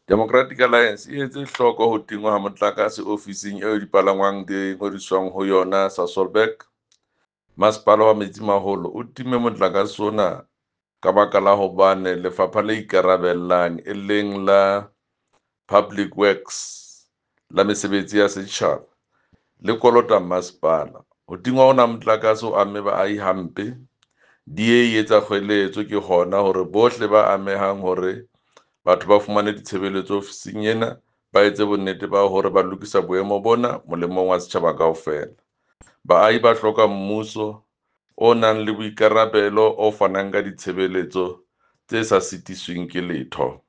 Democratic Alliance e etse hloko ho tingwa ha motlakase ofising eo dipalangwang di ngodiswang ho yona Sasolburg. Masepala wa Metsimaholo o timme motlakase ona ka baka la hobane lefapha le ikarabellang e leng la Public Works la mesebetsi ya setjhaba le kolota masepala. Ho tingwa hona ha motlakase o amme baahi hampe. DA e etsa kgoeletso ke hona hore bohle ba amehang hore batho ba fumane ditshebeletso ofising ena ba etse bonnete ba hore ba lokisa boemo bona molemong wa setjhaba kaofela. Baahi ba hloka mmuso o nang le boikarabelo o fanang ka ditshebeletso tse sa sitisweng ke letho.